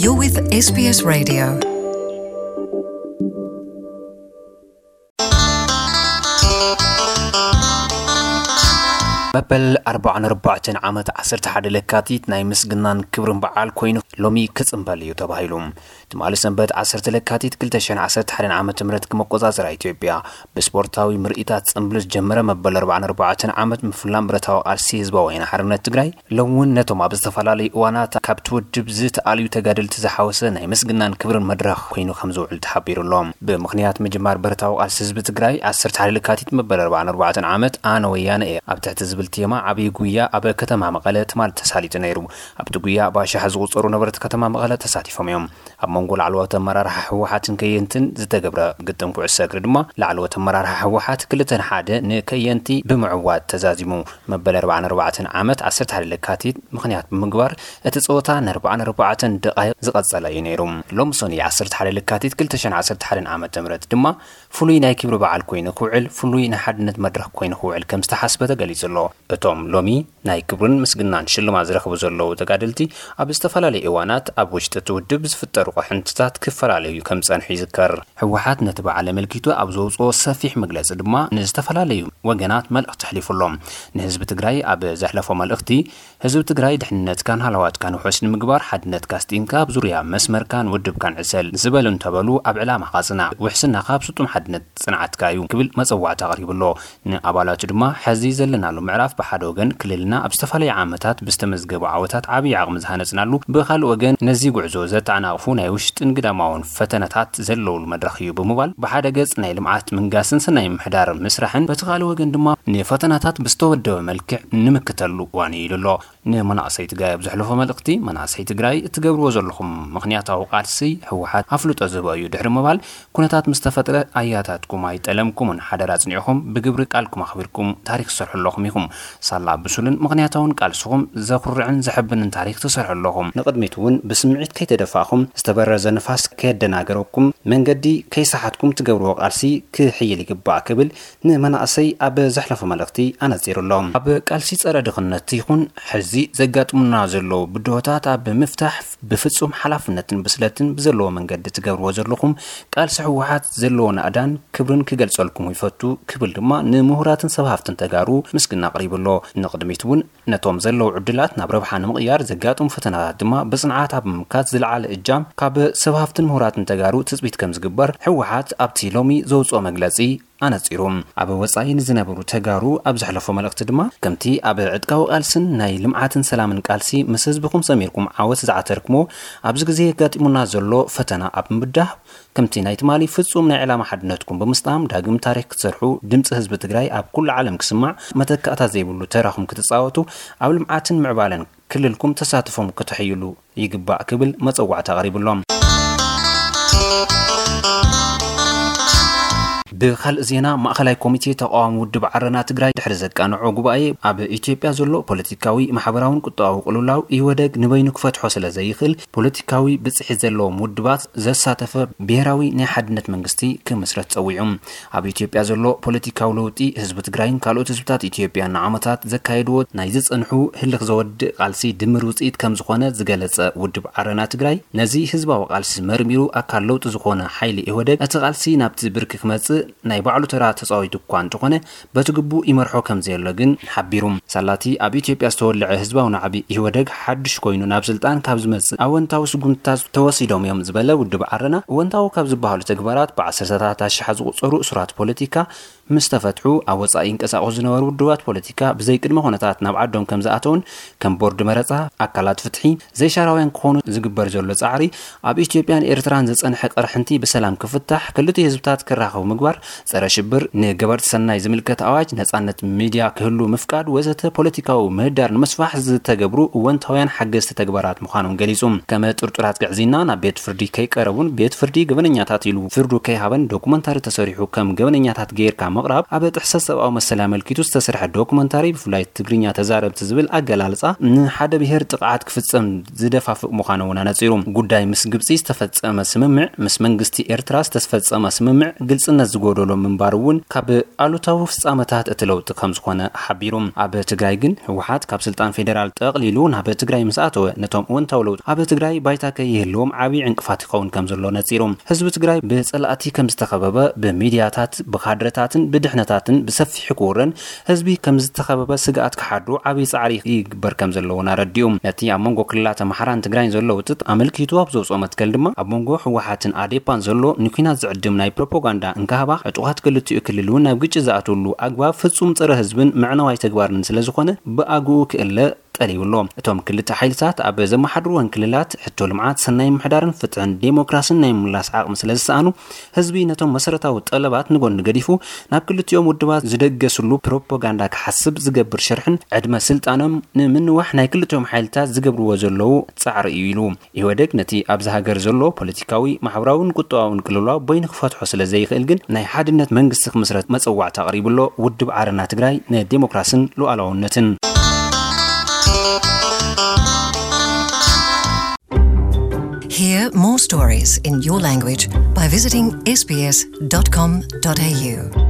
You're with S B S Radio. መበል ኣርባዓን ኣርባዕተን ዓመት ዓሰርተ ሓደ ለካቲት ናይ ምስግናን ክብርን በዓል ኮይኑ ሎሚ ክጽንበል እዩ ተባሂሉ። ትማሊ ሰንበት ዓሰርተ ለካቲት ክልተ ሽሕን ዓሰርተ ሓደን ዓመተ ምህረት ክመቆጻጸራ ኢትዮጵያ ብስፖርታዊ ምርኢታት ጽንብል ዝጀመረ መበል ኣርባዓን ኣርባዕተን ዓመት ምፍላም ብረታዊ ቃልሲ ህዝባዊ ወያነ ሓርነት ትግራይ ሎም እውን ነቶም ኣብ ዝተፈላለዩ እዋናት ካብቲ ውድብ ዝተኣልዩ ተጋደልቲ ዝሓወሰ ናይ ምስግናን ክብርን መድረኽ ኮይኑ ከም ዝውዕል ተሓቢሩ ኣሎ። ብምኽንያት ምጅማር ብረታዊ ቃልሲ ህዝቢ ትግራይ ዓሰርተ ሓደ ለካቲት መበል ኣርባዓን ኣርባዕተን ዓመት ኣነ ወያነ እየ ኣብ ትሕቲ ዝብል ቴማ ዓብዪ ጉያ ኣብ ከተማ መቐለ ትማሊ ተሳሊጡ ነይሩ። ኣብቲ ጉያ ብኣሽሓት ዝቑጸሩ ነበርቲ ከተማ መቐለ ተሳቲፎም እዮም። ኣብ መንጎ ላዕለዎት ኣመራርሓ ህወሓትን ከየንትን ዝተገብረ ግጥም ኩዕሶ እግሪ ድማ ላዕለዎት ኣመራርሓ ህወሓት ክልተ ንሓደ ንከየንቲ ብምዕዋት ተዛዚሙ። መበል ኣርባዓን ኣርባዕተን ዓመት ዓሰርተ ሓደ ለካቲት ምኽንያት ብምግባር እቲ ጸወታ ንኣርባዓን ኣርባዕተን ደቓይቕ ዝቐጸለ እዩ ነይሩ። ሎሚ ሰኑይ ዓሰርተ ሓደ ለካቲት ክልተ ሽሕን ዓሰርተ ሓደን ዓመተ ምህረት ድማ ፍሉይ ናይ ክብሪ በዓል ኮይኑ ክውዕል፣ ፍሉይ ናይ ሓድነት መድረኽ ኮይኑ ክውዕል ከም ዝተሓስበ ተገሊጹ ኣሎ። እቶም ሎሚ ናይ ክብርን ምስግናን ሽልማት ዝረኽቡ ዘለዉ ተጋደልቲ ኣብ ዝተፈላለዩ እዋናት ኣብ ውሽጢ እቲ ውድብ ዝፍጠሩ ቅሕንትታት ክፈላለዩ ከም ዝጸንሑ ይዝከር። ህወሓት ነቲ በዓል ኣመልኪቱ ኣብ ዘውፅኦ ሰፊሕ መግለፂ ድማ ንዝተፈላለዩ ወገናት መልእኽቲ ኣሕሊፉ ኣሎ። ንህዝቢ ትግራይ ኣብ ዘሕለፎ መልእኽቲ፣ ህዝቢ ትግራይ ድሕንነትካን ሃለዋትካን ውሑስ ንምግባር ሓድነትካ ኣስጢንካ ኣብ ዙርያ መስመርካን ውድብካን ዕሰል ዝበሉ እንተበሉ ኣብ ዕላማኻ ጽናዕ፣ ውሕስናኻ ኣብ ስጡም ሓድነት ጽንዓትካ እዩ ክብል መጸዋዕታ ኣቕሪቡ ኣሎ። ንኣባላቱ ድማ ሕዚ ዘለናሉ ምዕራፍ ብሓደ ወገን ክልልና ኣብ ዝተፈላለዩ ዓመታት ብዝተመዝገቡ ዓወታት ዓብዪ ዓቕሚ ዝሃነጽናሉ፣ ብኻልእ ወገን ነዚ ጉዕዞ ዘተዓናቕፉ ናይ ውሽጥን ግዳማውን ፈተነታት ዘለውሉ መድረኽ እዩ ብምባል ብሓደ ገጽ ናይ ልምዓት ምንጋስን ሰናይ ምምሕዳር ምስራሕን በቲ ካልእ ወገን ድማ ንፈተናታት ብዝተወደበ መልክዕ ንምክተሉ እዋን እዩ ኢሉ ኣሎ። ንመናእሰይ ትግራይ ኣብ ዘሕለፎ መልእኽቲ፣ መናእሰይ ትግራይ እትገብርዎ ዘለኹም ምኽንያታዊ ቃልሲ ህወሓት ኣፍልጦ ዝህቦ እዩ ድሕሪ ምባል፣ ኩነታት ምስ ተፈጥረ ኣያታትኩም ኣይጠለምኩምን፣ ሓደራ ኣጽኒዕኹም ብግብሪ ቃልኩም ኣኽቢርኩም ታሪኽ ትሰርሑ ኣለኹም ኢኹም። ሳላ ብሱልን ምኽንያታውን ቃልስኹም ዘኹርዕን ዘሐብንን ታሪኽ ትሰርሑ ኣለኹም። ንቕድሚት እውን ብስምዒት ከይተደፋእኹም፣ ዝተበረዘ ንፋስ ከየደናገረኩም፣ መንገዲ ከይሰሓትኩም ትገብርዎ ቃልሲ ክሕይል ይግባእ ክብል ንመናእሰይ ኣብ ዘሕለፎ መልእኽቲ ኣነጺሩ ኣሎ። ኣብ ቃልሲ ጸረ ድኽነት ይኹን ሕዚ ዘጋጥሙና ዘለዉ ብድሆታት ኣብ ምፍታሕ ብፍጹም ሓላፍነትን ብስለትን ብዘለዎ መንገዲ ትገብርዎ ዘለኹም ቃልሲ ህወሓት ዘለዎ ናእዳን ክብርን ክገልጸልኩም ይፈቱ ክብል ድማ ንምሁራትን ሰብ ሃፍትን ተጋሩ ምስግና ኣቕሪቡ ኣሎ። ንቕድሚት እውን ነቶም ዘለዉ ዕድላት ናብ ረብሓ ንምቕያር ዘጋጥሙ ፈተናታት ድማ ብጽንዓት ኣብ ምምካት ዝለዓለ እጃም ካብ ሰብ ሃፍትን ምሁራትን ተጋሩ ትጽቢት ከም ዝግበር ህወሓት ኣብቲ ሎሚ ዘውጽኦ መግለጺ ኣነጺሩ። ኣብ ወጻኢ ንዝነበሩ ተጋሩ ኣብ ዘሕለፎ መልእኽቲ ድማ፣ ከምቲ ኣብ ዕጥቃዊ ቃልስን ናይ ልምዓትን ሰላምን ቃልሲ ምስ ህዝብኹም ሰሚርኩም ዓወት ዝዓተርኩሞ፣ ኣብዚ ግዜ የጋጢሙና ዘሎ ፈተና ኣብ ምብዳህ፣ ከምቲ ናይ ትማሊ ፍጹም ናይ ዕላማ ሓድነትኩም ብምስጣም ዳግም ታሪኽ ክትሰርሑ፣ ድምጺ ህዝቢ ትግራይ ኣብ ኩሉ ዓለም ክስማዕ፣ መተካእታ ዘይብሉ ተራኹም ክትጻወቱ፣ ኣብ ልምዓትን ምዕባለን ክልልኩም ተሳትፎም ከተሕይሉ ይግባእ ክብል መጸዋዕታ ኣቕሪቡ ኣሎ። ብኻልእ ዜና፣ ማእኸላይ ኮሚቴ ተቃዋሚ ውድብ ዓረና ትግራይ ድሕሪ ዘቃንዖ ጉባኤ፣ ኣብ ኢትዮጵያ ዘሎ ፖለቲካዊ፣ ማሕበራውን ቁጠባዊ ቅልውላው ኢህወደግ ንበይኑ ክፈትሖ ስለ ዘይኽእል፣ ፖለቲካዊ ብፅሒት ዘለዎም ውድባት ዘሳተፈ ብሄራዊ ናይ ሓድነት መንግስቲ ክምስረት ጸዊዑ። ኣብ ኢትዮጵያ ዘሎ ፖለቲካዊ ለውጢ፣ ህዝቢ ትግራይን ካልኦት ህዝብታት ኢትዮጵያን ንዓመታት ዘካየድዎ ናይ ዝጸንሑ ህልኽ ዘወድእ ቃልሲ ድምር ውጽኢት ከም ዝኾነ ዝገለጸ ውድብ ዓረና ትግራይ፣ ነዚ ህዝባዊ ቃልሲ መርሚሩ ኣካል ለውጢ ዝኾነ ሓይሊ ኢህወደግ፣ እቲ ቃልሲ ናብቲ ብርኪ ክመጽእ ናይ ባዕሉ ተራ ተጻዊቱ እኳ እንተኾነ፣ በቲ ግቡእ ይመርሖ ከም ዘየሎ ግን ሓቢሩ። ሳላቲ ኣብ ኢትዮጵያ ዝተወልዐ ህዝባዊ ናዕቢ ኢህወደግ ሓድሽ ኮይኑ ናብ ስልጣን ካብ ዝመጽእ ኣወንታዊ ስጉምትታት ተወሲዶም እዮም ዝበለ ውድብ ዓረና፣ እወንታዊ ካብ ዝበሃሉ ተግባራት ብዓሰርተታት ኣሽሓት ዝቑጸሩ እሱራት ፖለቲካ ምስ ተፈትሑ፣ ኣብ ወጻኢ ይንቀሳቐሱ ዝነበሩ ውድባት ፖለቲካ ብዘይ ቅድመ ኩነታት ናብ ዓዶም ከም ዝኣተውን፣ ከም ቦርድ መረጻ፣ ኣካላት ፍትሒ፣ ዘይሻራውያን ክኾኑ ዝግበር ዘሎ ጻዕሪ፣ ኣብ ኢትዮጵያን ኤርትራን ዝጸንሐ ቅርሕንቲ ብሰላም ክፍታሕ፣ ክልቲኡ ህዝብታት ክራኸቡ ምግባር፣ ጸረ ሽብር፣ ንገበርቲ ሰናይ ዝምልከት ኣዋጅ፣ ነጻነት ሚድያ ክህሉ ምፍቃድ ወዘተ ፖለቲካዊ ምህዳር ንምስፋሕ ዝተገብሩ እወንታውያን ሓገዝቲ ተግባራት ምዃኖም ገሊጹ። ከም ጥርጡራት ግዕዝይና ናብ ቤት ፍርዲ ከይቀረቡን ቤት ፍርዲ ገበነኛታት ኢሉ ፍርዱ ከይሃበን ዶኩመንታሪ ተሰሪሑ ከም ገበነኛታት ገይርካ ምቕራብ ኣብ ጥሕሰት ሰብኣዊ መሰል ኣመልኪቱ ዝተሰርሐ ዶክመንታሪ፣ ብፍላይ ትግርኛ ተዛረብቲ ዝብል ኣገላልጻ ንሓደ ብሄር ጥቕዓት ክፍጸም ዝደፋፍእ ምዃኑ እውን ኣነጺሩ። ጉዳይ ምስ ግብጺ ዝተፈጸመ ስምምዕ፣ ምስ መንግስቲ ኤርትራ ዝተፈጸመ ስምምዕ ግልጽነት ዝጎደሎ ምንባሩ እውን ካብ ኣሉታዊ ፍጻመታት እቲ ለውጢ ከም ዝኾነ ሓቢሩ። ኣብ ትግራይ ግን ህወሓት ካብ ስልጣን ፌዴራል ጠቕሊሉ ናብ ትግራይ ምስ ኣተወ፣ ነቶም እወንታዊ ለውጢ ኣብ ትግራይ ባይታ ከይህልዎም ዓብዪ ዕንቅፋት ይኸውን ከም ዘሎ ነጺሩ። ህዝቢ ትግራይ ብጸላእቲ ከም ዝተኸበበ፣ ብሚድያታት፣ ብካድረታትን ብድሕነታትን ብሰፊሑ ክውረን፣ ህዝቢ ከም ዝተኸበበ ስግኣት ክሓድሩ ዓብዪ ጻዕሪ ይግበር ከም ዘለዎን ኣረዲኡ። ነቲ ኣብ መንጎ ክልላት ኣምሓራን ትግራይን ዘሎ ውጥጥ ኣመልኪቱ ኣብ ዘውፅኦ መትከል ድማ፣ ኣብ መንጎ ህወሓትን ኣዴፓን ዘሎ ንኲናት ዝዕድም ናይ ፕሮፓጋንዳ እንካሃባ፣ ዕጡቓት ክልቲኡ ክልል እውን ናብ ግጭት ዝኣትውሉ ኣግባብ ፍጹም ጸረ ህዝብን መዕነዋይ ተግባርን ስለ ዝኾነ፣ ብኣግኡ ክእለ ጠሊቡ ኣሎ። እቶም ክልተ ሓይልታት ኣብ ዘመሓድርወን ክልላት ሕቶ ልምዓት፣ ሰናይ ምሕዳርን ፍትሕን ዴሞክራስን ናይ ምላስ ዓቕሚ ስለ ዝሰኣኑ፣ ህዝቢ ነቶም መሰረታዊ ጠለባት ንጎኒ ገዲፉ፣ ናብ ክልቲኦም ውድባት ዝደገስሉ ፕሮፓጋንዳ ክሓስብ ዝገብር ሽርሕን ዕድመ ስልጣኖም ንምንዋሕ ናይ ክልቲኦም ሓይልታት ዝገብርዎ ዘለዉ ጻዕሪ እዩ ኢሉ። ኢህወደግ ነቲ ኣብዚ ሃገር ዘሎ ፖለቲካዊ፣ ማሕበራውን ቁጠባውን ቅልውላው በይኑ ክፈትሖ ስለ ዘይኽእል ግን፣ ናይ ሓድነት መንግስቲ ክምስረት መጸዋዕታ ኣቕሪቡ ኣሎ። ውድብ ዓረና ትግራይ ንዴሞክራስን ሉዓላውነትን። Hear more stories in your language by visiting S B S dot com dot A U.